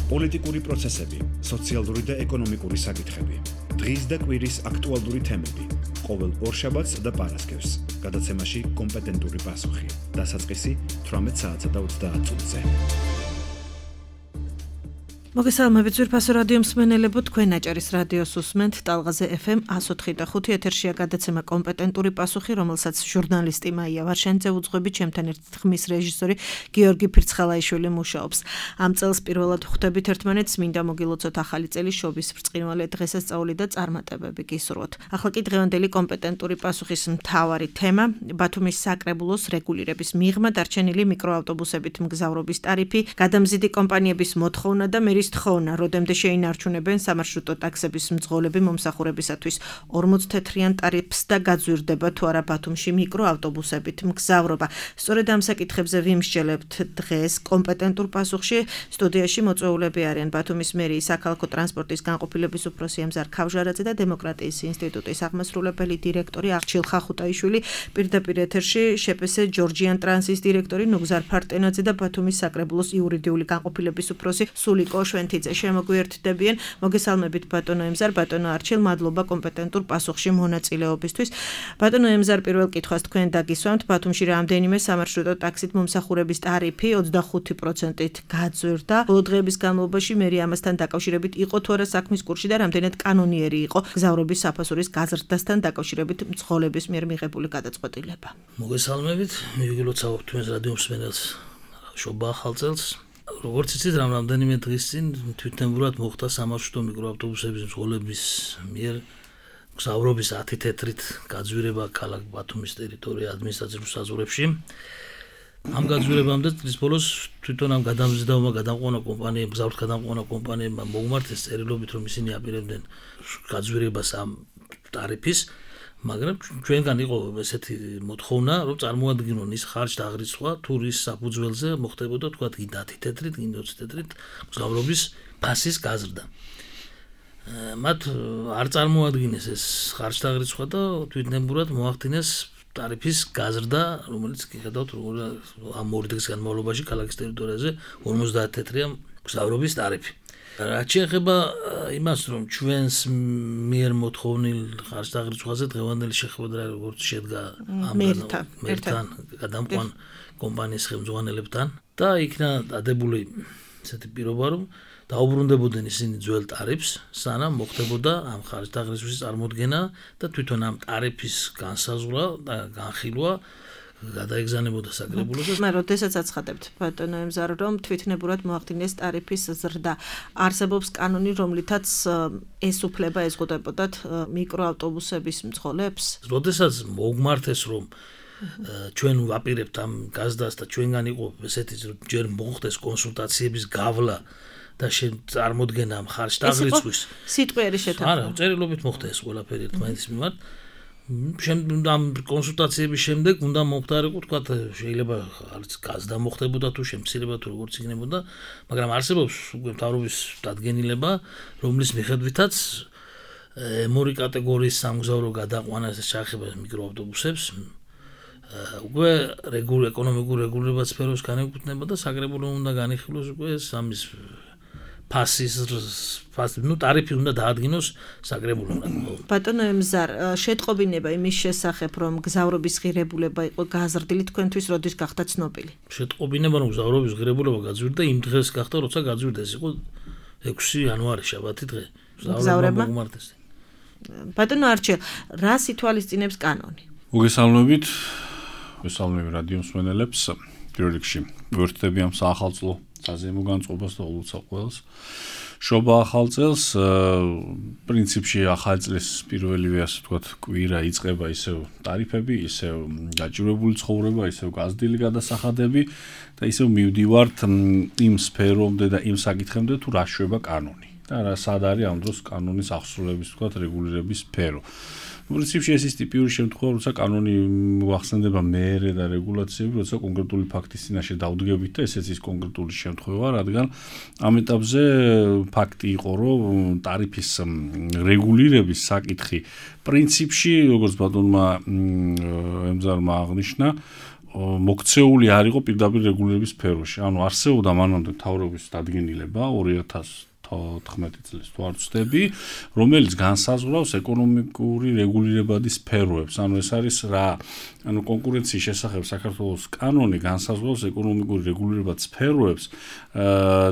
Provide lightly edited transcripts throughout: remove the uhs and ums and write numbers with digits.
პოლიტიკური პროცესები, სოციალური და ეკონომიკური საკითხები. დღის და კვირის აქტუალური თემები. ყოველ ორშაბათს და პარასკევს. გადაცემაში კომპეტენტური პასუხი. დასაწყისი 18 საათსა და 30 წუთზე. მოგესალმებით ძვირფასო რადიო მსმენელებო, თქვენ აჭარის რადიოს უსმენთ ტალღაზე FM 104.5 ეთერშია გადაცემა კომპეტენტური პასუხი, რომელსაც ჟურნალისტი მაია ვარშენიძე უძღვებით, ჩემთან ერთად ხმის რეჟისორი გიორგი ფირცხალაიშვილი მუშაობს. ამ წელს პირველად ხვდებით ერთმანეთს, მინდა მოგილოცოთ ახალი წელი შობის ბრწყინვალე დღესასწაული და წარმატებები გისურვოთ. ახლა კი დღევანდელი კომპეტენტური პასუხის მთავარი თემა, ბათუმის საკრებულოს რეგულირების მიღმა, დარჩენილი მიკროავტობუსებით მგზავრობის ტარიფი, გადამზიდი კომპანიების მოთხოვნა და მერის თხოვნა, როდემდე შეინარჩუნებენ სამარშრუტო ტაქსების მძღოლები მომსახურებისათვის 40 თეთრიან ტარიფს და გაძვირდება თუ არა ბათუმში მიკროავტობუსებით მგზავრობა. სწორედ ამ საკითხებზე ვიმსჯელებთ დღეს კომპეტენტურ პასუხში. სტუდიაში მოწვეულები არიან ბათუმის მერიის საქალაქო ტრანსპორტის განყოფილების უფროსი ემზარ ქავჟარაძე და დემოკრატიის ინსტიტუტის აღმასრულებელი დირექტორი აღჩილ ხახუტაიშვილი. პირდაპირ ეთერში შპს ჯორჯიან ტრანსის დირექტორი ნუგზარ ფარტენაძე და ბათუმის საკრებულოს იურიდიული განყოფილების უფროსი სულიკო შვენთიძე შემოგვიერთდებიან. მოგესალმებით ბატონო ემზარ, ბატონო არჩილ, მადლობა კომპეტენტურ პასუხში მონაწილეობისთვის. ბატონო ემზარ, პირველ კითხვას თქვენ დაგისვამთ, ბათუმში რამდენიმე სამარშრუტო ტაქსით მომსახურების ტარიფი 25%-ით გაძვირდა. ბოლო დღეების განმავლობაში მერი ამასთან დაკავშირებით იყო თუ არა საქმის კურსში და რამდენად კანონიერი იყო გზავრობის საფასურის გაზრდასთან დაკავშირებით მძღოლების მიერ მიღებული გადაწყვეტილება. მოგესალმებით, მივიგილოცავთ თქვენს რადიო მსმენელს შობა ახალ წელს. როგორც იცით, რამდენიმე დღის წინ თვითნებურად მოხდა სამარშრუტო მიკროავტობუსების მძღოლების მიერ მგზავრობის 10 თეთრით გაძვირება ქალაქ ბათუმის ტერიტორია ადმინისტრაციულ საზღვრებში. ამ გაძვირებამდე წლის ბოლოს თვითონ ამ გადამზიდავმა გადამყვანა კომპანიებმა, მგზავრთ გადამყვანა კომპანიებმა მოუმართეს წერილობით, რომ ისინი აპირებდნენ გაძვირებას ამ ტარიფის, მაგრამ ჩვენგან იყო ესეთი მოთხოვნა, რომ წარმოადგინონ ის ხარჯ-დაღრიცხვა თუ რის საფუძველზე მოხდებოდა თქვა 10 თეთრით, 20 თეთრით მგზავრობის ფასის გაზრდა. მათ არ წარმოადგინეს ეს ხარჯ-დაღრიცხვა და თვითნებურად მოახდინეს ტარიფის გაზრდა, რომელიც გიხედავთ როგორ ამ ორი დღის განმავლობაში ქალაქის ტერიტორიაზე 50 თეთრია მგზავრობის ტარიფი. რაც შეეხება იმას, რომ ჩვენს მიერ მოთხოვნილ ხარჯ-დაღრიცხვაზე დღევანდელი შეხვედრა როგორც შედგა მერთან გადამყვან კომპანიის ხელმძღვანელებთან და იქნა დადებული ესეთი პირობა, რომ დაუბრუნდებოდნენ ისინი ძველ ტარიფს, სანამ მოხდებოდა ამ ხარჯ-დაღრიცხვის წარმოდგენა და თვითონ ამ ტარიფის განსაზღვრა და განხილვა გადაეგზავნებოდა საკრებულოს. მაგრამ როდესაც აცხადებთ ბატონო ემზარ, რომ თვითნებურად მოახდინეს ტარიფის ზრდა, არსებობს კანონი, რომლითაც ეს უფლება ეზღუდებოდათ მიკროავტობუსების მძღოლებს? როდესაც მოგმართეს, რომ ჩვენ ვაპირებთ ამ გაზდას და ჩვენგან იყო ესეთი ჯერ მოხდეს კონსულტაციების გავლა და წარმოდგენა ამ ხარჯ-დაღრიცხვის. სიტყვიერი შეთანხმება. არა, წერილობით მოხდა ეს ყველაფერი ერთმანეთის მიმართ. ამ კონსულტაციების შემდეგ უნდა მომხდარიყო, თქვა შეიძლება არც გაზდა მოხდებოდა თუ შემცირება თუ როგორც იქნებოდა, მაგრამ არსებობს უკვე მთავრობის დადგენილება, რომლის მიხედვითაც მორიგ კატეგორიის სამგზავრო გადაყვანა ეს შეეხება მიკროავტობუსებს. უკვე ეკონომიკურ რეგულირებად სფეროს განეკუთვნება და საკრებულო უნდა განიხილოს უკვე სამის ტარიფი უნდა დაადგინოს საკრებულომ. ბატონო ემზარ, შეტყობინება იმის შესახებ, რომ გზავრობის ღირებულება იყო გაზრდილი, თქვენთვის როდის გახდა ცნობილი? შეტყობინება, რომ გზავრობის ღირებულება გაძვირდა, იმ დღეს გახდა, როცა გაძვირდა, ეს იყო 6 იანვარი, შაბათი დღე. მგზავრებმა მომართეს. ბატონო არჩილ, რას ითვალისწინებს კანონი? მოგესალმებით, მოგესალმებით რადიო მსმენელებს. პირველ რიგში ვერთდები ამ საახალწლო საზეიმო განწყობას და ულოცავ ყველას. შობა ახალ წელს, პრინციპში ახალი წლის პირველივე ასე ვთქვათ კვირა იწყება ისევ ტარიფები, ისევ გაჭირვებული ცხოვრება, ისევ გაზრდილი გადასახადები და ისევ მივდივართ იმ სფერომდე და იმ საკითხემდე თუ რა შვება კანონი და რა სად არის ამ დროს კანონის აღსრულების ვთქვათ რეგულირების სფერო. პრინციპში ეს ის ტიპიური შემთხვევა, როცა კანონი მოახსენდება მეერე და რეგულაციები, როცა კონკრეტული ფაქტის წინაშე დავდგებით და ესეც ის კონკრეტული შემთხვევა, რადგან ამ ეტაპზე ფაქტი იყო, რომ ტარიფის რეგულირების საკითხი პრინციპში, როგორც ბატონმა ემზარმა აღნიშნა, მოქცეული არ იყო პირდაპირ რეგულირების სფეროში. ანუ არსებობდა მანამდე მთავრობის დადგენილება 2014 წლის თუ არ ვცდები, რომელიც განსაზღვრავს ეკონომიკური რეგულირებადი სფეროებს. ანუ ეს არის რა, ანუ კონკურენციის შესახებ საქართველოს კანონი განსაზღვრავს ეკონომიკური რეგულირებადი სფეროებს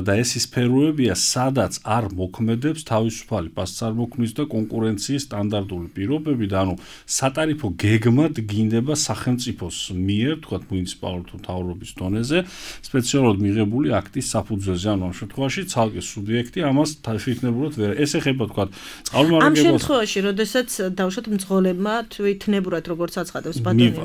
და ეს სფეროებია, სადაც არ მოქმედებს თავისუფალი პასუხისმგებლობის და კონკურენციის სტანდარტული პირობები და ანუ სატარიფო გეგმად გინდება სახელმწიფოს მიერ, თქვათ მუნიციპალურ თუ მთავრობის დონეზე, სპეციალურად მიღებული აქტის საფუძველზე. ანუ ამ შემთხვევაში ცალკე სუბიექტი ამას თვითნებურად ვერ. ეს ეხება თქვათ წყალმოვარდნებას. ამ შემთხვევაში, როდესაც დავუშვათ მძღოლებმა თვითნებურად როგორც აცხადებს ბატონი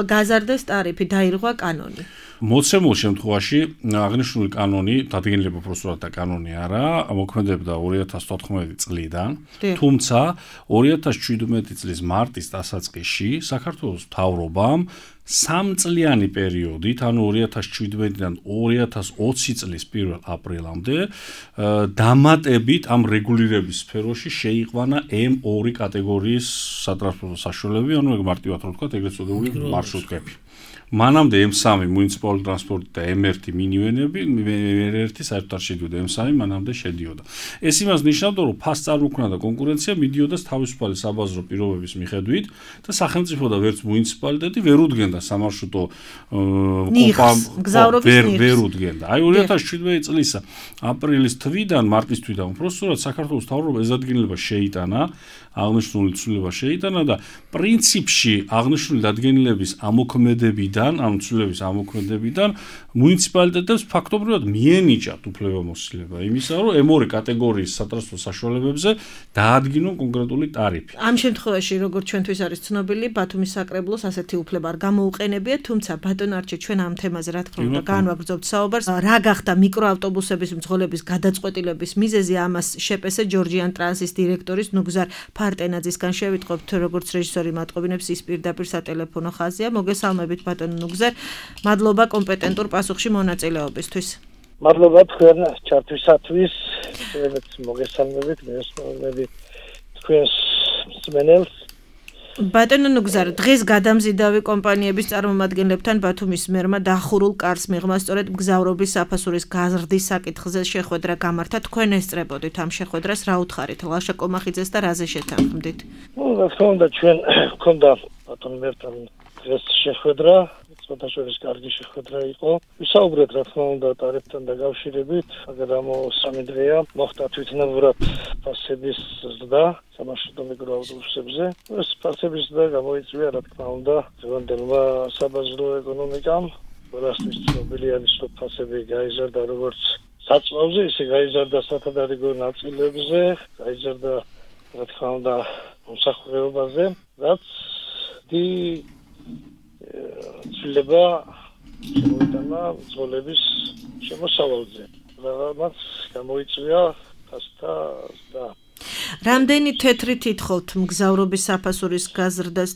გაზარდეს ტარიფი, დაირღვა კანონი. მოცემულ შემთხვევაში აღნიშნული კანონი, დადგენილება უბრალოდ და კანონი არა, მოქმედებდა 2014 წლიდან, თუმცა 2017 წლის მარტის დასაწყისში საქართველოს მთავრობამ 3 წლიანი პერიოდით, ანუ 2017-დან 2020 წლის 1 აპრილამდე, დამატებით ამ რეგულირების სფეროში შეიყვანა M2 კატეგორიის სატრანსპორტო საშუალებები, ანუ მარტივად რომ ვთქვათ, ეგრეთ წოდებული მარშრუტკები. მანამდე M3 მუნიციპალური ტრანსპორტი და M1 მინივენები, M1 საერთოდ არ შედიოდა, M3 მანამდე შედიოდა. ეს იმას ნიშნავდა, რომ ფას წარმოქმნა და კონკურენცია მიდიოდა თავისუფალი საბაზრო პირობების მიხედვით და სახელმწიფო და ვერც მუნიციპალიტეტი ვერ უდგენდა სამარშრუტო ვერ უდგენდა. აი 2017 წლის აპრილის თვიდან, მარტის თვიდან უბრალოდ საქართველოს მთავრობა ეს დადგენილება შეიტანა, აღნიშნული ცვლილება შეიტანა და პრინციპში აღნიშნული დადგენილების ამოქმედებიდან, ამ ცვლილების ამოქმედებიდან მუნიციპალიტეტებს ფაქტობრივად მიენიჭათ უფლებამოსილება იმისა, რომ M2 კატეგორიის სატრანსპორტო საშუალებებზე დაადგინონ კონკრეტული ტარიფი. ამ შემთხვევაში, როგორც ჩვენთვის არის ცნობილი, ბათუმის საკრებლოს ასეთი უფლება არ გამოუყენებია, თუმცა ბატონ არჩილ, ჩვენ ამ თემაზე რა თქმა უნდა განვაგრძობთ საუბარს. რა გახდა მიკროავტობუსების მძღოლების გადაწყვეტილების მიზეზი, ამას შეპესე ჯორჯიან ტრანსის დირექტორის ნუგზარ ფარტენაძისგან შევიტყობთ, როგორც რეჟისორი მატყობინებს, ის პირდაპირ სატელეფონო ხაზია. მოგესალმებით ბატონ ნუგზარ, მადლობა კომპეტენტურ პასუხში მონაწილეობისთვის. მადლობა თქვენ ჩართვისათვის, შევეთ მოგესალმებით, მესმენები თქვენს მსმენელს. ბატონ ნუგზარ, დღეს გადამზიდავი კომპანიების წარმომადგენლებთან ბათუმის მერმა დახურულ კარს მიღმა სწორედ მგზავრობის საფასურის გაზრდის საკითხზე შეხვედრა გამართა. თქვენ ესწრებოდით ამ შეხვედრას, რა უთხარით ლაშა კომახიძეს და რაზე შეთანხმდით? რა თქმა უნდა, ჩვენ გვქონდა ბატონ მერთან დღეს შეხვედრა, სხვადასხვა კარგი შეხვედრა იყო. ვისაუბრეთ რა თქმა უნდა ტარიფთან დაკავშირებით, მაგრამ 3 დღეა მოხდა თვითნებურად ფასების ზრდა სამარშრუტო მიკროავტობუსებზე. ეს ფასების ზრდა გამოიწვია რა თქმა უნდა დღევანდელმა საბაზრო ეკონომიკამ. ყველასთვის ცნობილი არის, რომ ფასები გაიზარდა როგორც საწვავზე, ისე გაიზარდა სათადარიგო ნაწილებზე, გაიზარდა რა თქმა უნდა მოსახლეობაზე, რაც ცვლილება შემოიტანა მძღოლების შემოსავალზე. რაღაც გამოიწვია ფასთა ზრდა. რამდენი თეთრი თითხოვთ მგზავრობის საფასურის გაზრდას?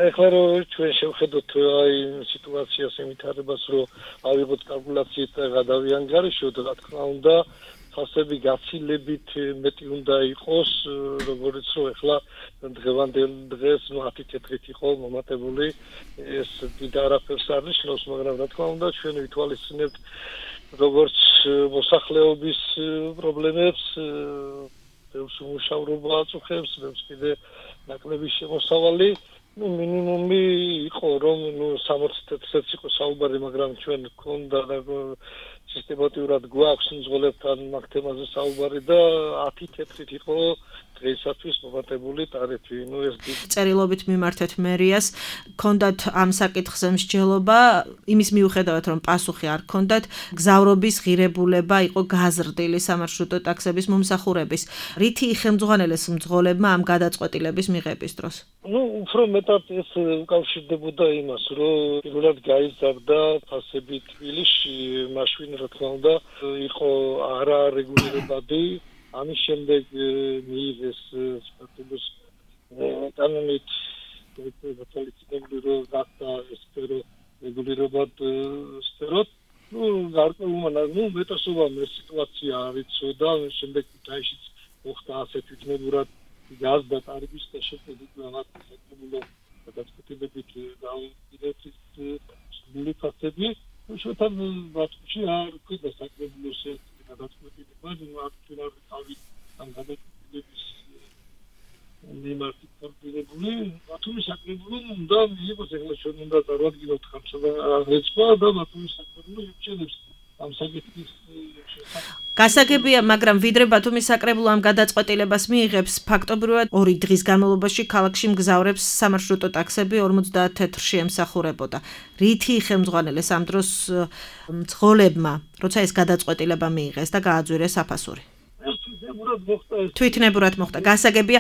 ეხლა რომ ჩვენ შევხედოთ აი სიტუაციას, ემითარებას, რომ ავიღოთ კალკულაციით და გადავიანგარიშოთ, რა თქმა უნდა ფასები გაცილებით მეტი უნდა იყოს, როგორც რომ ეხლა დღევანდელ დღეს 10 თეთრით იყო მომატებული, ეს დიდ არაფერს არ ნიშნავს, მაგრამ რა თქმა უნდა ჩვენ ვითვალისწინებთ როგორც მოსახლეობის პრობლემებს, ბევრს უმუშავრობა აწუხებს, ბევრს კიდე ნაკლები შემოსავალი, მინიმუმი იყო რომ 60 თეთრიც იყო საუბარი, მაგრამ ჩვენ გქონდა სისტემატურად გვაქვს მძღოლებთან მაგ თემაზე საუბარი და 10 თეთრით იყო დღეისათვის მომატებული ტარიფი. ეს წერილობით მიმართეთ მერიას, გქონდათ ამ საკითხზე მსჯელობა, იმის მიუხედავად რომ პასუხი არ გქონდათ, გზავრობის ღირებულება იყო გაზრდილი სამარშრუტო ტაქსების მომსახურების. რითი იხელმძღვანელეს მძღოლებმა ამ გადაწყვეტილების მიღების დროს? უფრო მეტად ეს უკავშირდებოდა იმას, რომ პირველად გაიზარდა ფასები თბილისში, მაშინ რა თქმა უნდა იყო არარეგულირებადი. ამის შემდეგ მიიღეს სტატუს კანონით დაკავშირებული რომ გახდა სფერო რეგულირებად სფეროთ. გარკვეულმა მეტასობა სიტუაცია არ იცოდა, შემდეგ დაიშიც მოხდა ასე თვითნებურად გაზ და ტარიფის შეფეთქება საკმაოდ გადაწყვეტილებით დაუპირდეთ სრული ფაქტები, შოთან ბატონში არ ყიდა საკრებულოს გადაწყვეტილება, აქტუალური თავის ამ გადაწყვეტილების მიმართ კორპორატიული ბათუმის საკრებულოს უნდა მიიღოს ეხლა ჩვენ უნდა წარვადგინოთ ხალხსა და ბათუმის საკრებულო ირჩევებს ამ საკითხის გასაგებია, მაგრამ ვიდრე ბათუმის საკრებულო ამ გადაწყვეტილებას მიიღებს, ფაქტობრივად 2 დღის განმავლობაში ქალაქში მგზავრებს სამარშრუტო ტაქსები 50 თეთრში ემსახურებოდა. რითი ხელმძღვანელეს ამ დროს მძღოლებმა, როცა ეს გადაწყვეტილება მიიღეს და გააძვირეს აფასური? თვითნებურად მოხდა. გასაგებია,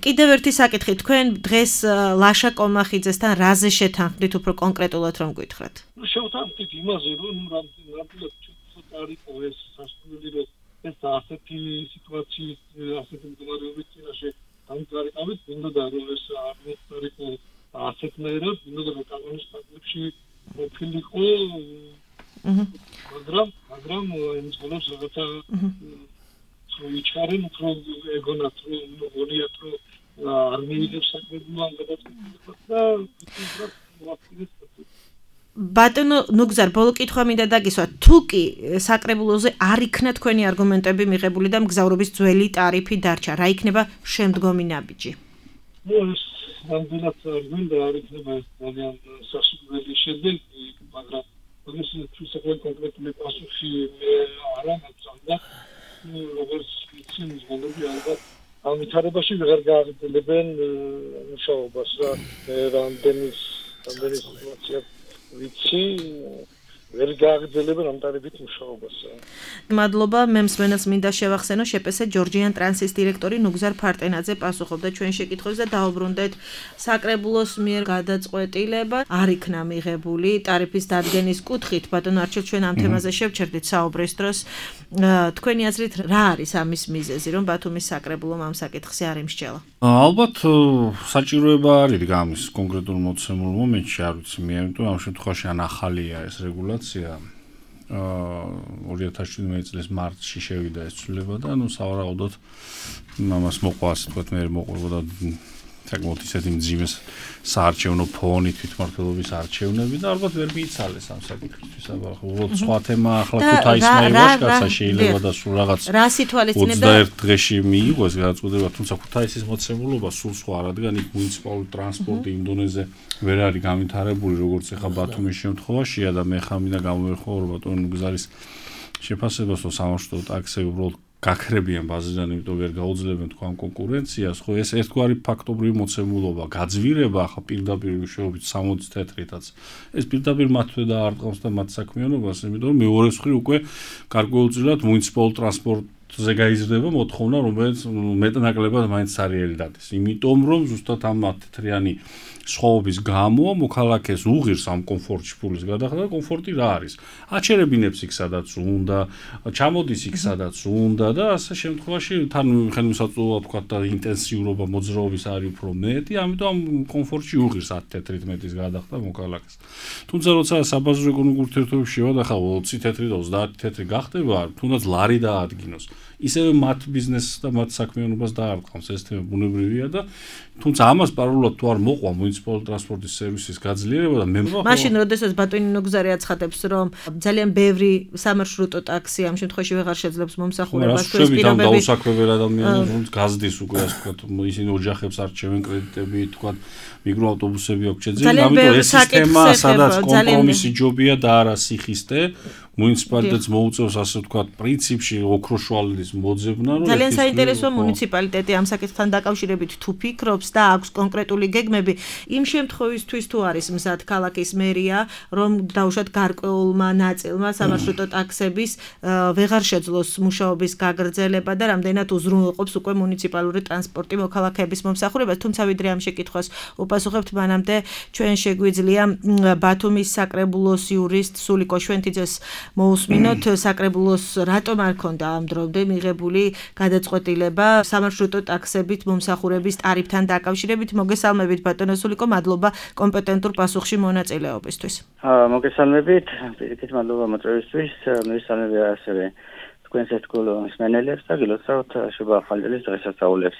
კიდევ ერთი საკითხი, თქვენ დღეს ლაშა კომახიძესთან რაზე შეთანხმდით უფრო კონკრეტულად რომ გითხრათ? შევთანხმდით იმაზე, რომ ნამდვილად არის ეს სასწავლებელი რომ ეს ასეთი სიტუაციის ასეთი მდგომარეობის წინაშე დამდგარიყავით, უნდა რომ ეს არ მოხდარიყო ასეთნაირად, უნდა რომ კანონის ფაქტებში მოფილიყო, მაგრამ იმ ცხოვრობს რაღაცა ვიჩქარენ უფრო ეგონათ რომ გონიათ რომ არ მიიღებს საკრებულო ამ გადაწყვეტილებას და ბატონო ნუგზარ, ბოლო კითხვა მინდა დაგისვა, თუ კი საკრებულოზე არ იქნა თქვენი არგუმენტები მიღებული და მგზავრობის ძველი ტარიფი დარჩა, რა იქნება შემდგომი ნაბიჯი? ეს ნამდვილად გვინდა არ იქნება ძალიან სასურველი შედეგი, მაგრამ ეს თვითონ კონკრეტული პასუხი არ აქვს და როგორც ისინი ზღუდები ალბათ ამ ვითარებაში ვეღარ გააგრძელებენ მუშაობას და რამდენი სიტუაცია ვიცი ვერ გააგრძელებენ ამ ტარიფით მუშაობას. მადლობა, მე მსმენელს მინდა შევახსენო შეპესე ჯორჯიან ტრანსის დირექტორი ნუგზარ ფარტენაძე პასუხობდა ჩვენ შეკითხვებს და დაუბრუნდეთ საკრებულოს მიერ გადაწყვეტილება არ იქნა მიღებული ტარიფის დადგენის კუთხით. ბატონო არჩილ, ჩვენ ამ თემაზე შევჩერდით საუბრის დროს. თქვენი აზრით რა არის ამის მიზეზი, რომ ბათუმის საკრებულომ ამ საკითხზე არ იმსჯელა? ალბათ საჭიროება არის გამის კონკრეტულ მოცემულ მომენტში, არ ვიცი მე, იმიტომ ამ შემთხვევაში ან ახალია ეს რეგულაცია 2017 წლის მარტში შევიდა ეს ცვლილება და სავარაუდოდ ამას მოყვა ასე თქვათ მე მოყვებოდა საკმაოდ ისეთი მძიმე საარჩევნო ფონი თვითმმართველობის არჩევნები და ალბათ ვერ მიიცალეს ამ საკითხისთვის. უბრალოდ სხვა თემა ახლა ქუთაისმა ივაშკაცა შეიძლება და სულ რაღაც რა სიტუაცია 21 დღეში მიიღოს გადაწყვეტილება, თუმცა ქუთაისის მოცემულობა სულ სხვა, რადგან იქ მუნიციპალური ტრანსპორტი იმ დონეზე ვერ არის განვითარებული, როგორც ეხა ბათუმის შემთხვევაშია და მე ხა მინდა გამოვიხო რომ ბატონო გზარის შეფასებას რომ სამარშრუტო ტაქსები უბრალოდ გაქრებიან ბაზიდან, იმიტომ ვერ გაუძლებენ თქვა კონკურენციას, ხო ეს ერთგვარი ფაქტობრივი მოცემულობა, გაძვირება ახლა პირდაპირ მშვიდობით 60 თეთრითაც. ეს პირდაპირ მათვე დაარტყავს და მათ საქმიანობას, იმიტომ რომ მეორე მხრივ უკვე გარკვეულწილად მუნიციპალურ ტრანსპორტზე გაიზრდება მოთხოვნა, რომელიც მეტნაკლებად მაინც სარიელი დადეს. იმიტომ რომ ზუსტად ამ თეთრიანი სხვაობის გამო მოქალაქეს უღირს ამ კომფორტში ფულის გადახდა და კომფორტი რა არის? აჩერებინებს იქ სადაც უნდა, ჩამოდის იქ სადაც უნდა და ასე შემთხვევაში თან ხელმისაწვდომობა თქვა და ინტენსიურობა მოძრაობის არის უფრო მეტი, ამიტომ ამ კომფორტში უღირს 10 თეთრით მეტის გადახდა მოქალაქეს. თუმცა როცა საბაზრო ეკონომიკურ ურთიერთობებში შევადახავ 20 თეთრი და 30 თეთრი გახდება, თუნდაც ლარი დაადგინოს. ისევე მათ ბიზნესს და მათ საქმიანობას დაარტყამს, ეს თემა ბუნებრივია და თუმცა ამას პარალელურად თუ არ მოყვა მუნიციპალური ტრანსპორტის სერვისის გაძლიერება და მე მაშინ როდესაც ბატონი ნუგზარი აცხადებს რომ ძალიან ბევრი სამარშრუტო ტაქსი ამ შემთხვევაში ვეღარ შეძლებს მომსახურებას თუ ეს პირობები დაუსაქმებელ ადამიანებს გაზდის უკვე ასე ვთქვათ ისინი ოჯახებს არჩევენ კრედიტები თქვათ მიკროავტობუსები აქვს შეძენილი ამიტომ ეს სისტემა სადაც კომპრომისი ჯობია და არა სიხისტე მუნიციპალიტეტს მოუწევს ასე ვთქვათ პრინციპში ოქროშვალის მოძებნა რომ ძალიან საინტერესოა მუნიციპალიტეტი ამ საკითხთან დაკავშირებით თუ ფიქრობს და აქვს კონკრეტული გეგმები იმ შემთხვევისთვის თუ არის მზად ქალაქის მერია რომ დაუშვათ გარკვეულმა ნაწილმა სამარშრუტო ტაქსების ვეღარ შეძლოს მუშაობის გაგრძელება და რამდენად უზრუნველყოფს უკვე მუნიციპალური ტრანსპორტი მოქალაქეების მომსახურებას თუმცა ვიდრე ამ შეკითხვას უპასუხებთ მანამდე ჩვენ შეგვიძლია ბათუმის საკრებულოს იურისტ სულიკო შვენთიძეს მოусმინოთ საკრებულოს რატომ არ ქონდა ამ დრომდე მიღებული გადაწყვეტილება სამარშრუტო ტაქსებით მომსახურების ტარიფთან დაკავშირებით მოგესალმებით ბატონო სულიკო მადლობა კომპეტენტურ პასუხში მონაწილეობისთვის მოგესალმებით პირიქით მადლობა მოწვევისთვის მისალმები ასევე თქვენს მსმენელებს და გილოცავთ შობა ახალწლის დღესასწაულებს.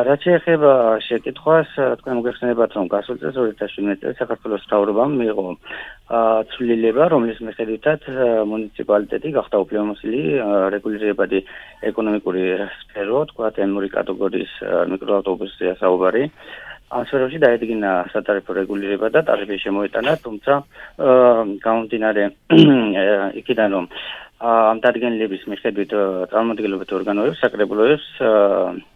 რაც შეეხება შეკითხვას, თქვენ მოგეხსენებათ, რომ გასულ წელს 2017 წელს საქართველოს მთავრობამ მიიღო ცვლილება, რომლის მიხედვითაც მუნიციპალიტეტი გახდა უფლებამოსილი რეგულირებადი ეკონომიკური სფერო, თქვათ ემური კატეგორიის მიკროავტობუსზეა საუბარი. ამ სფეროში დაედგინა სატარიფო რეგულირება და ტარიფი შემოეტანა, თუმცა გამომდინარე იქიდან რომ ამ დადგენილების მიხედვით წარმომადგენლობითი ორგანოებს, საკრებულოებს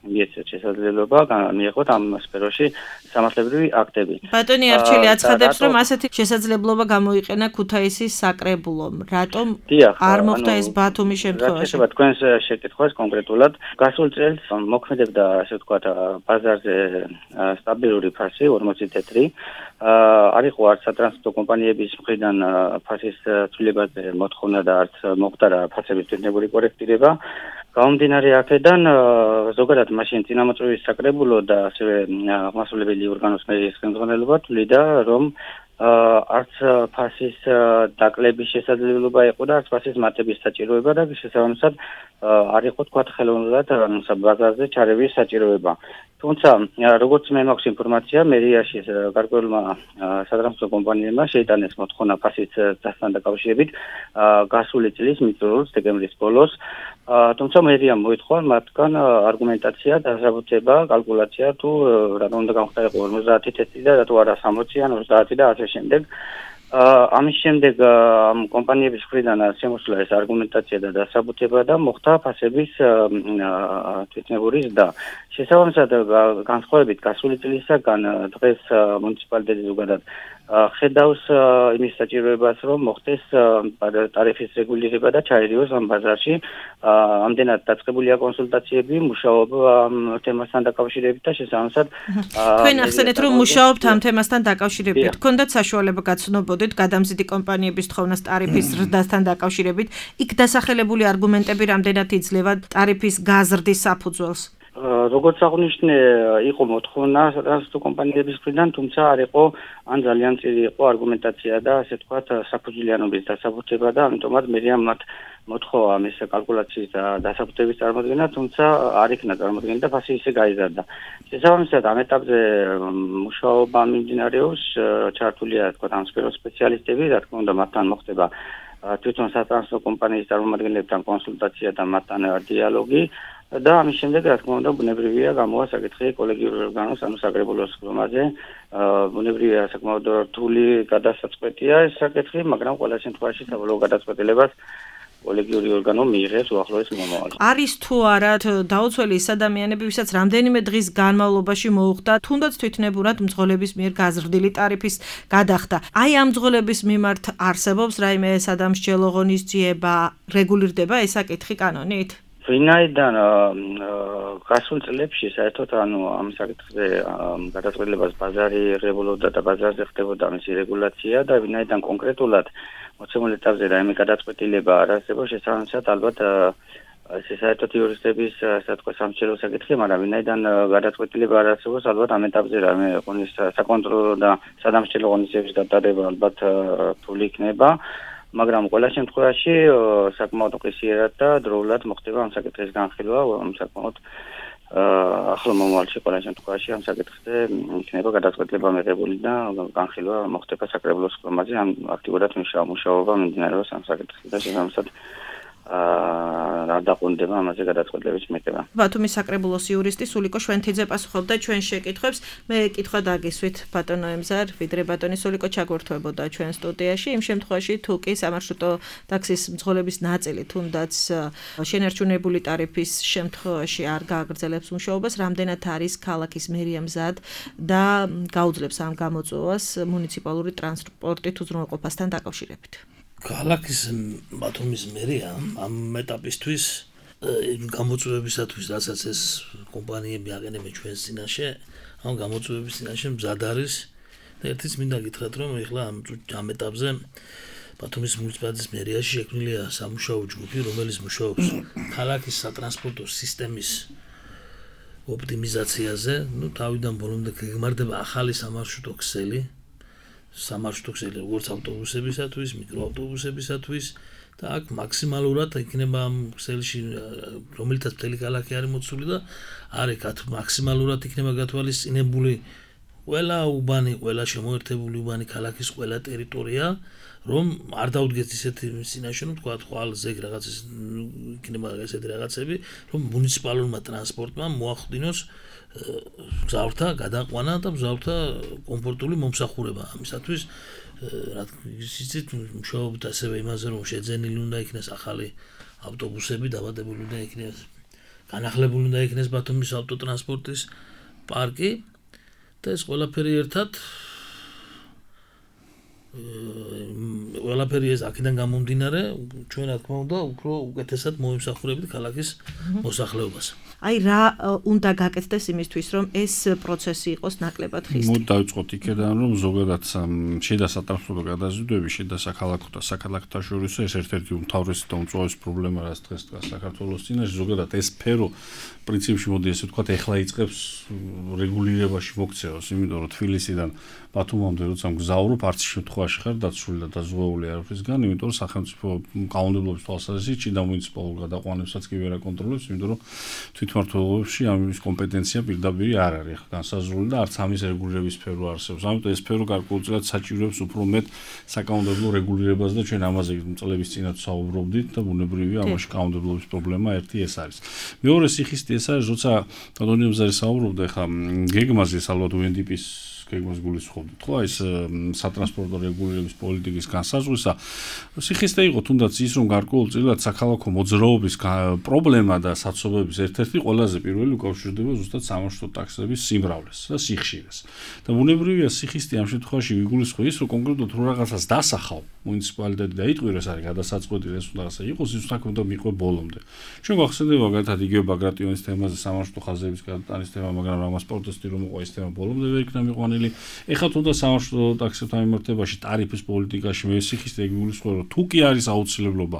მიეცეთ შესაძლებლობა მიეღოთ ამ სფეროში სამართლებრივი აქტები. ბატონი არჩილი აცხადებს, რომ ასეთი შესაძლებლობა გამოიყენა ქუთაისის საკრებულომ. რატომ არ მოხდა ეს ბათუმის შემთხვევაში? რა თქვენს შეკითხვას კონკრეტულად გასულ წელს მოქმედებდა, ასე ვთქვათ, ბაზარზე სტაბილური ფასი 40 თეთრი. არ იყო არც სატრანსპორტო კომპანიების მხრიდან ფასის ცვლილებაზე მოთხოვნა და არც მოხდა ფასების ტექნიკური კორექტირება. გამომდინარე აქედან ზოგადად მაშინ წინამორბედის საკრებულო და ასევე აღმასრულებელი ორგანოს მერიის ხელმძღვანელობა თვლიდა, რომ არც ფასის დაკლების შესაძლებლობა იყო და არც ფასის მატების საჭიროება და შესაბამისად არ იყო თქვათ ხელოვნურად ბაზარზე ჩარევის საჭიროება. თუმცა როგორც მე მაქვს ინფორმაცია, მერიაში გარკვეულმა სატრანსპორტო კომპანიებმა შეიტანეს მოთხოვნა ფასის დასთან დაკავშირებით გასული წლის მიწურულს დეკემბრის ბოლოს. თუმცა მერიამ მოითხოვა მათგან არგუმენტაცია, დასაბუთება, კალკულაცია თუ რატომ უნდა გამხდარიყო 50 თეთრი და რატო არა 60 ან 30 და ასე შემდეგ. ამის შემდეგ კომპანიების მხრიდან შემოსულა ეს არგუმენტაცია და დასაბუთება და მოხდა ფასების თვითნებური ზრდა. შესაბამისად განსხვავებით გასული წლისაგან დღეს მუნიციპალიტეტი ზოგადად ხედავს იმის საჭიროებას, რომ მოხდეს ტარიფის რეგულირება და ჩაერიოს ამ ბაზარში. ამდენად დაწყებულია კონსულტაციები, მუშაობა ამ თემასთან დაკავშირებით და შესაბამისად თქვენ ახსენეთ, რომ მუშაობთ ამ თემასთან დაკავშირებით. გქონდათ საშუალება გაცნობოდეთ გადამზიდი კომპანიების თხოვნას ტარიფის ზრდასთან დაკავშირებით. იქ დასახელებული არგუმენტები რამდენად იძლევა ტარიფის გაზრდის საფუძველს? როგორც აღნიშნე, იყო მოთხოვნა სატრანსპორტო კომპანიების მხრიდან, თუმცა არ იყო ან ძალიან წილი იყო არგუმენტაცია და ასე ვთქვათ საფუძვლიანობის დასაბუთება და ამიტომაც მერიამ მათ მოთხოვა ამის კალკულაციის და დასაბუთების წარმოდგენა, თუმცა არ იქნა წარმოდგენილი და ფასი ისე გაიზარდა. შესაბამისად ამ ეტაპზე მუშაობა მიმდინარეობს, ჩართულია თქვათ ამ სფეროს სპეციალისტები, რა თქმა უნდა მათთან მოხდება თვითონ სატრანსპორტო კომპანიის წარმომადგენლებთან კონსულტაცია და მათთან დიალოგი. და ამის შემდეგ რა თქმა უნდა ბუნებრივია გამოვა საკითხი კოლეგიური ორგანოს ანუ საკრებულოს ხმაზე. ბუნებრივია საკმაოდ რთული გადასაწყვეტია ეს საკითხი, მაგრამ ყველა შემთხვევაში საბოლოო გადაწყვეტილებას კოლეგიური ორგანო მიიღებს უახლოეს მომავალში. არის თუ არა დაუცველი ის ადამიანები, ვისაც რამდენიმე დღის განმავლობაში მოუხდა თუნდაც თვითნებურად მძღოლების მიერ გაზრდილი ტარიფის გადახდა. აი ამ მძღოლების მიმართ არსებობს რაიმე სადამსჯელო ღონისძიება, რეგულირდება ეს საკითხი კანონით? ვინაიდან გასულ წლებში საერთოდ ანუ ამ საკითხზე გადაწყვეტილებას ბაზარი იღებულობდა და ბაზარზე ხდებოდა მისი რეგულაცია და ვინაიდან კონკრეტულად მოცემულ ეტაპზე რაიმე გადაწყვეტილება არ არსებობს, შესაბამისად ალბათ ეს საერთოდ იურისტების ასე თქვა სამსჯელო საკითხი, მაგრამ ვინაიდან გადაწყვეტილება არ არსებობს, ალბათ ამ ეტაპზე რაიმე საკონტროლო და სადამსჯელო ღონისძიების გატარება ალბათ რთული იქნება. მაგრამ ყველა შემთხვევაში საკმაოდ უყისიერად და დროულად მოხდება ამ საკითხის განხილვა, საკმაოდ ახლა მომავალში ყველა შემთხვევაში ამ საკითხზე იქნება გადაწყვეტილება მიღებული და განხილვა მოხდება საკრებულოს ხმაზე, ამ აქტიურად მუშაობა მიმდინარეობს ამ საკითხზე და შესაბამისად რა დაყუნდება ამაზე გადაწყვეტილების მიღება. ბათუმის საკრებულოს იურისტი სულიკო შვენთიძე პასუხობდა ჩვენ შეკითხვებს. მე კითხვა დაგისვით ბატონო ემზარ, ვიდრე ბატონი სულიკო ჩაგვერთვებოდა ჩვენ სტუდიაში. იმ შემთხვევაში თუ კი სამარშრუტო ტაქსის მძღოლების ნაწილი თუნდაც შენარჩუნებული ტარიფის შემთხვევაში არ გააგრძელებს მუშაობას, რამდენად არის ქალაქის მერია მზად და გაუძლებს ამ გამოწვევას მუნიციპალური ტრანსპორტით უზრუნველყოფასთან დაკავშირებით. ქალაქის ბათუმის მერია ამ ეტაპისთვის გამოწვევებისათვის, რასაც ეს კომპანიები აყენებენ ჩვენს წინაშე, ამ გამოწვევების წინაშე მზად არის და ერთიც მინდა გითხრათ, რომ ეხლა ამ ეტაპზე ბათუმის მუნიციპალიტეტის მერიაში შექმნილია სამუშაო ჯგუფი, რომელიც მუშაობს ქალაქის სატრანსპორტო სისტემის ოპტიმიზაციაზე. თავიდან ბოლომდე გეგმარდება ახალი სამარშრუტო ქსელი, როგორც ავტობუსებისათვის, მიკროავტობუსებისათვის და აქ მაქსიმალურად იქნება ამ ქსელში რომელთაც მთელი ქალაქი არის მოცული და არის მაქსიმალურად იქნება გათვალისწინებული ყველა უბანი, ყველა შემოერთებული უბანი ქალაქის ყველა ტერიტორია, რომ არ დაუდგეს ისეთი სინაშე, რომ თქვა ხვალ ზეგ რაღაც იქნება ესეთი რაღაცები, რომ მუნიციპალურმა ტრანსპორტმა მოახდინოს მგზავრთა გადაყვანა და მგზავრთა კომფორტული მომსახურება. ამისათვის იცით, მუშაობთ ასევე იმაზე, რომ შეძენილი უნდა იქნეს ახალი ავტობუსები, დაბადებული უნდა იქნეს, განახლებული უნდა იქნეს ბათუმის ავტოტრანსპორტის პარკი და ეს ყველაფერი ერთად ყველაფერი ეს აქედან გამომდინარე, ჩვენ რა თქმა უნდა, უფრო უკეთესად მოიმსახურებით ქალაქის მოსახლეობას. აი რა უნდა გაკეთდეს იმისთვის, რომ ეს პროცესი იყოს ნაკლებად ხისტი. მოდი დავიწყოთ იქედან, რომ ზოგადად შიდა სატრანსპორტო გადაზიდვები, შიდა საქალაქო და საქალაქოთა შორის ეს ერთ-ერთი უმთავრესი და უმწვავესი პრობლემა, რაც დღეს საქართველოს წინაშე, ზოგადად ეს სფერო პრინციპში მოდი ესე ვთქვათ, ეხლა იწყებს რეგულირებაში მოქცევას, იმიტომ რომ თბილისიდან ბათუმამდე როცა მგზავრობ, არც შემთხვევაში ხარ დაცული და დაზღვეული არაფრისგან, იმიტომ რომ სახელმწიფო კანონმდებლობის თვალსაზრისით შიდა მუნიციპალურ გადაყვანებსაც კი ვერ აკონტროლებს, იმიტომ რომ თვითმმართველობებში ამის კომპეტენცია პირდაპირ არ არის განსაზღვრული და არც ამის რეგულირების სფერო არსებობს. ამიტომ ეს სფერო გარკვეულწილად საჭიროებს უფრო მეტ საკანონმდებლო რეგულირებას და ჩვენ ამაზე წლების წინათ საუბრობდით და ბუნებრივია ამაში კანონმდებლობის პრობლემა ერთი ეს არის. მეორე სიხისტი ეს არის, როცა კანონმდებლობაზე საუბრობდა, ხა გეგმაზე ალბათ UNDP-ის გეგმას გულისხმობთ, ხო, ეს სატრანსპორტო რეგულირების პოლიტიკის განსაზღვრისა. სიხისტე იყო თუნდაც ის, რომ გარკვეულწილად საქალაქო მოძრაობის პრობლემა და საცობების ერთ-ერთი ყველაზე პირველი უკავშირდება ზუსტად სამარშრუტო ტაქსების სიმრავლეს და სიხშირეს. და ბუნებრივია სიხისტე ამ შემთხვევაში ვიგულისხმო ის, რომ კონკრეტულად რო რაღაცას დასახავ მუნიციპალიტეტი და იტყვირეს არის გადასაწყვეტი ეს უნდა რაღაცა იყოს, ის საქმე უნდა მიყვე ბოლომდე. ჩვენ გვახსენდება მაგალითად იგივე ბაგრატიონის თემაზე სამარშრუტო ხაზების გადატანის თემა, მაგრამ რამას პროტესტი რომ მოყვა ეს თემა ბოლომდე ვერ იქნა მიყვანილი. ეხლა თუნდა სამარშრუტო ტაქსებთან მიმართებაში ტარიფის პოლიტიკაში მე სიხისტე გულისხმობ, რომ თუ კი არის აუცილებლობა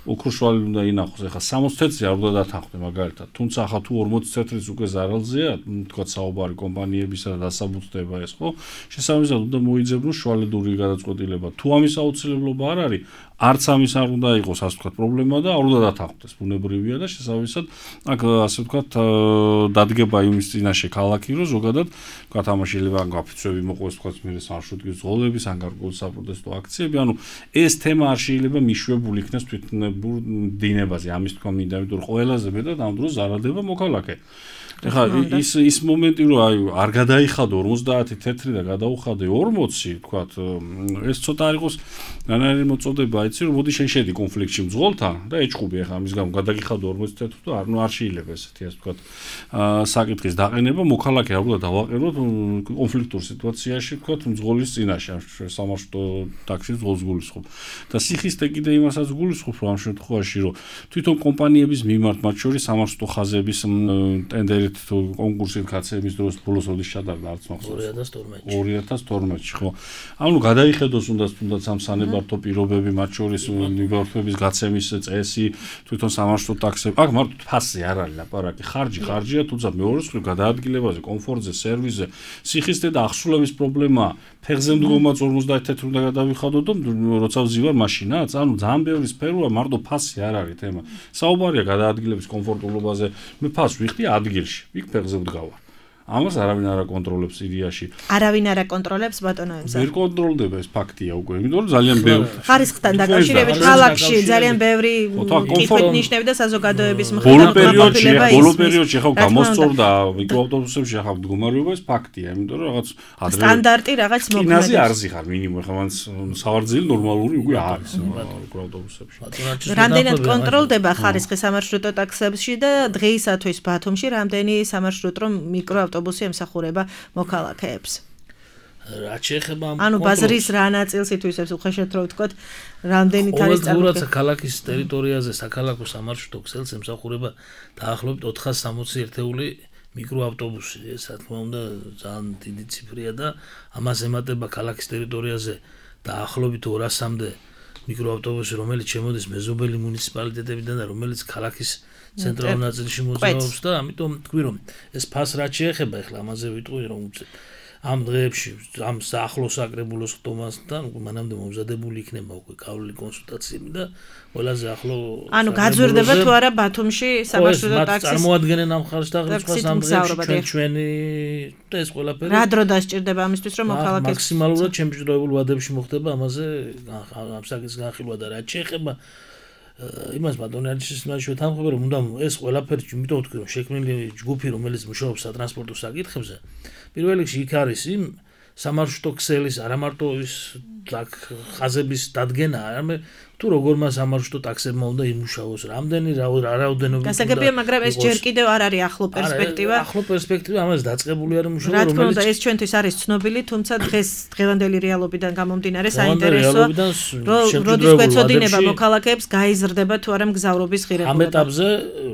ოქროშვალი უნდა ინახოს, ეხლა 60 თეთრი არ უნდა დათანხმდე მაგალითად, თუმცა ახლა თუ 40 თეთრის უკვე ზარალზეა, თქვა საუბარი კომპანიებისა და დასაბუთდება ეს, ხო? შესაბამისად უნდა მოიძებნოს შვალედური გადაწყვეტილება. თუ ამის აუცილებლობა არ არის, არც ამის არ უნდა იყოს, ასე ვთქვათ, პრობლემა და არ უნდა დათანხმდეს. ბუნებრივია და შესაბამისად აქ ასე ვთქვათ დადგება იმის წინაშე ქალაქი, რომ ზოგადად ვთქვათ ამაში შეიძლება გაფიცვები მოყვეს, ვთქვათ, მე სამარშრუტის ძღოლების, ან გარკვეული საპროტესტო აქციები, ანუ ეს თემა არ შეიძლება მიშვებული იქნას თვითნებურ დინებაზე. ამის თქვა მინდა, იმიტომ რომ ყველაზე მეტად ამ დროს ზარალდება მოქალაქე. ეხლა ის მომენტი რომ აი არ გადაიხადო 50 თეთრი და გადაუხადე 40, თქვათ, ეს ცოტა არ იყოს რანაირი მოწოდება, იცი რომ მოდი შენ შედი კონფლიქტში მძღოლთან და ეჭყუბი ეხლა ამის გამო გადაგიხადო 40 თეთრს და არ შეიძლება ესეთი ასე ვთქვათ საკითხის დაყენება, მოქალაქე ალბათ დავაყენოთ კონფლიქტურ სიტუაციაში, ვთქვათ, მძღოლის წინაშე სამარშრუტო ტაქსის ძღოლს გულისხმობ. და სიხისტე კიდე იმასაც გულისხმობ, რომ ამ შემთხვევაში რომ თვითონ კომპანიების მიმართ, მათ შორის სამარშრუტო ხაზების ტენდერით თუ კონკურსით გაცემის დროს ბოლოს როდის ჩატარდა არც მახსოვს 2012-ში, ხო. ანუ გადაიხედოს თუნდაც ამ სანებართო პირობები, მათ შორის მიმართვების გაცემის წესი, თვითონ სამარშრუტო ტაქსები. აქ მარტო ფასზე არ არის ლაპარაკი, ხარჯია, თუმცა მეორე მხრივ გადაადგილებაზე, კომფორტზე, სერვისზე, სიხისტე და ახსულების პრობლემაა. ფეხზე მდგომა 50 თეთრი უნდა გადავიხადო და როცა ვზივარ მაშინაც, ანუ ძალიან ბევრი სფეროა, მარტო ფასი არ არის თემა. საუბარია გადაადგილების კომფორტულობაზე, მე ფასს ვიხდი ადგილში, იქ ფეხზე ვდგავარ. ამას არავინ არ აკონტროლებს სირიაში. არავინ არ აკონტროლებს ბატონო ემზა. ვერ კონტროლდება ეს ფაქტია უკვე, იმიტომ რომ ძალიან ბევრი ხარისხთან დაკავშირებით ქალაქში ძალიან ბევრი კითხვით ნიშნები და საზოგადოების მხრიდან მოპირება ის. ბოლო პერიოდში ხა გამოსწორდა მიკროავტობუსებში ხა მდგომარეობა ეს ფაქტია, იმიტომ რომ რაღაც სტანდარტი რაღაც მოქმედებს. კინაზე არ ზიხარ მინიმუმ ხა მან სავარძელი ნორმალური უკვე არის მიკროავტობუსებში. რამდენად კონტროლდება ხარისხი სამარშრუტო ტაქსებში და დღეისათვის ბათუმში რამდენი სამარშრუტო მიკროავტობუსი ემსახურება მოქალაქეებს. რაც შეეხება ანუ ბაზრის რა ნაწილს ითვისებს უხეშად რო ვთქვათ, რამდენით არის წარმოქმნილი ქალაქის ტერიტორიაზე საქალაქო სამარშრუტო ქსელს ემსახურება დაახლოებით 460 ერთეული მიკროავტობუსი. ეს რა თქმა უნდა ძალიან დიდი ციფრია და ამას ემატება ქალაქის ტერიტორიაზე დაახლოებით 200-მდე მიკროავტობუსი, რომელიც შემოდის მეზობელი მუნიციპალიტეტებიდან და რომელიც ქალაქის ცენტრალურ ნაწილში მოძრაობს და ამიტომ თქვი რომ ეს ფას რაც შეეხება, ეხლა ამაზე ვიტყვი რომ ამ დღეებში ამ ახლოს აკრებულოს ხტომასთან მანამდე მომზადებული იქნება უკვე გავლილი კონსულტაციები და ყველაზე ახლო ანუ გაძვირდება თუ არა ბათუმში სამარშრუტო ტაქსის წარმოადგენენ ამ ხარჯს და სხვას ამ დღეებში ჩვენი ეს ყველაფერი რა დრო დასჭირდება ამისთვის რომ მოქალაქეს მაქსიმალურად ჩემპიონატებულ ვადებში მოხდება ამაზე ამ საკითხის განხილვა და რაც შეეხება იმას ბატონელის მასში ვეთანხმები რომ უნდა ეს ყველაფერი იმიტომ ვთქვი რომ შექმნილი ჯგუფი რომელიც მუშაობს სატრანსპორტო საკითხებზე პირველ რიგში იქ არის იმ სამარშრუტო ქსელის არა მარტო ის ხაზების დადგენა არამედ თუ როგორმა სამარშრუტო ტაქსებმა უნდა იმუშაოს რამდენი რაოდენობით გასაგებია მაგრამ ეს ჯერ კიდევ არ არის ახლო პერსპექტივა ახლო პერსპექტივა ამას დაწყებული არის მუშაობა რა თქმა უნდა ეს ჩვენთვის არის ცნობილი თუმცა დღევანდელი რეალობიდან გამომდინარე საინტერესოა როდის გვეცოდინება მოქალაქეებს გაიზრდება თუ არა მგზავრობის ღირებულება ამ ეტაპზე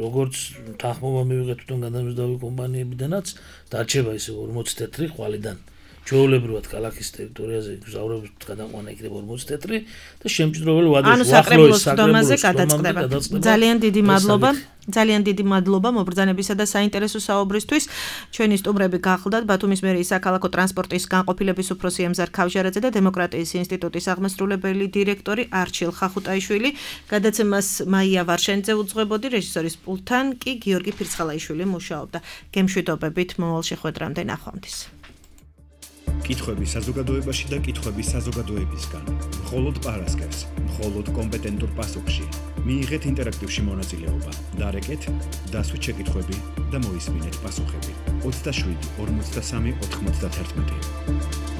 როგორც თანხმობა მივიღეთ თვითონ გადამზიდავი კომპანიებიდანაც დარჩება ისე 40 თეთრი ხვალიდან ჩვეულებრივად ქალაქის ტერიტორიაზე გზავრობის გადაყვანა იქნება 40 თეთრი და შემჭიდროველი ვადაში უახლოეს საკრებულოს გადაწყდება. ძალიან დიდი მადლობა მობრძანებისა და საინტერესო საუბრისთვის. ჩვენი სტუმრები გახლდათ ბათუმის მერიის საქალაქო ტრანსპორტის განყოფილების უფროსი ემზარ ქავჟარაძე და დემოკრატიის ინსტიტუტის აღმასრულებელი დირექტორი არჩილ ხახუტაიშვილი. გადაცემას მაია ვარშენიძე უძღვებოდი, რეჟისორის პულტთან კი გიორგი ფირცხალაიშვილი მუშაობდა. გემშვიდობებით მომავალ შეხვედრამდე ნახვამდის. კითხვები საზოგადოებაში და კითხვები საზოგადოებისგან. მხოლოდ პარასკევს, მხოლოდ კომპეტენტურ პასუხში. მიიღეთ ინტერაქტივში მონაწილეობა. დარეკეთ, დასვით შეკითხვები და მოისმინეთ პასუხები. 27 43 91